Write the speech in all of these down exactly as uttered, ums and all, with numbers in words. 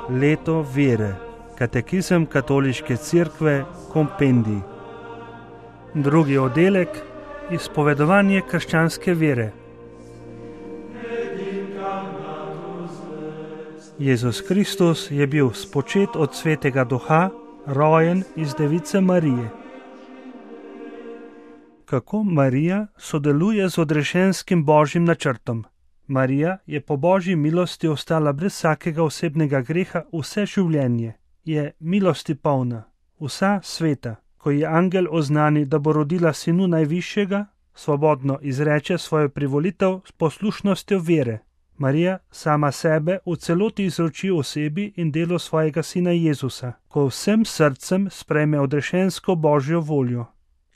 Leto vere. Katekizem Katoliške cerkve, kompendij. Drugi oddelek. Izpovedovanje krščanske vere. Jezus Kristus je bil spočet od Svetega Duha, rojen iz Device Marije. Kako Marija sodeluje z odrešenskim božjim načrtom? Marija je po božji milosti ostala brez vsakega osebnega greha vse življenje. Je milosti polna, vsa sveta. Ko ji angel oznani, da bo rodila sinu najvišjega, svobodno izreče svojo privolitev s poslušnostjo vere. Marija sama sebe v celoti izroči osebi in delu svojega sina Jezusa, ko vsem srcem sprejme odrešensko božjo voljo.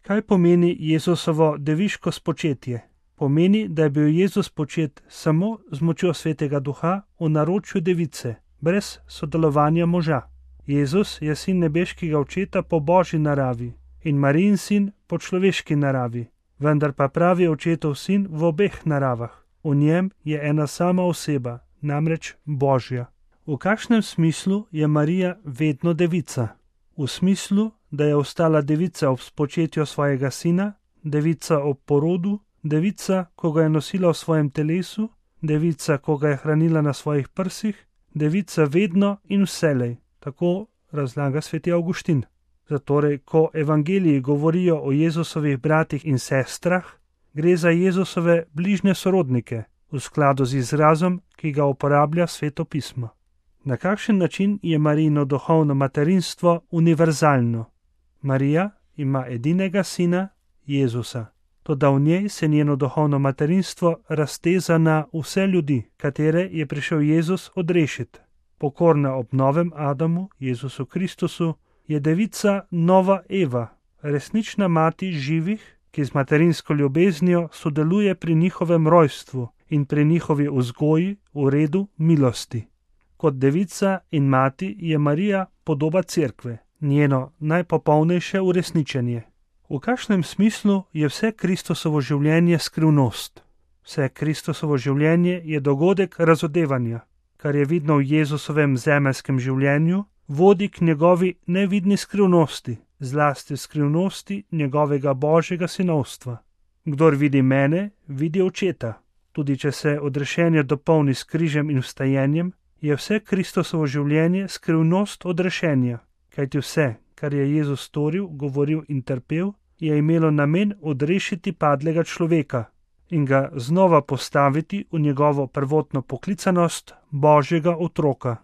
Kaj pomeni Jezusovo deviško spočetje? Pomeni, da je bil Jezus počet samo z močjo Svetega Duha v naročju device, brez sodelovanja moža. Jezus je sin nebeškega očeta po božji naravi in Marijin sin po človeški naravi, vendar pa pravi očetov sin v obeh naravah. V njem je ena sama oseba, namreč Božja. V kakšnem smislu je Marija vedno devica? V smislu, da je ostala devica ob spočetju svojega sina, devica ob porodu, devica, ko ga je nosila v svojem telesu, devica, ko ga je hranila na svojih prsih, devica vedno in vselej. Tako razlaga sveti Avguštin. Zatorej, ko evangeliji govorijo o Jezusovih bratih in sestrah, gre za Jezusove bližnje sorodnike, v skladu z izrazom, ki ga uporablja Sveto pismo. Na kakšen način je Marijino duhovno materinstvo univerzalno? Marija ima edinega sina, Jezusa. Toda v njej se njeno duhovno materinstvo razteza na vse ljudi, katere je prišel Jezus odrešiti. Pokorna ob novem Adamu, Jezusu Kristusu, je devica nova Eva, resnična mati živih, ki z materinsko ljubeznijo sodeluje pri njihovem rojstvu in pri njihovi vzgoji v redu milosti. Kot devica in mati je Marija podoba cerkve, njeno najpopolnejše uresničenje. V kakšnem smislu je vse Kristusovo življenje skrivnost? Vse Kristusovo življenje je dogodek razodevanja, kar je vidno v Jezusovem zemeljskem življenju, vodi k njegovi nevidni skrivnosti, zlasti skrivnosti njegovega božjega sinovstva. Kdor vidi mene, vidi očeta. Tudi če se odrešenje dopolni s križem in vstajenjem, je vse Kristusovo življenje skrivnost odrešenja, kajti vse, kar je Jezus storil, govoril in trpel, je imelo namen odrešiti padlega človeka in ga znova postaviti v njegovo prvotno poklicanost Božjega otroka.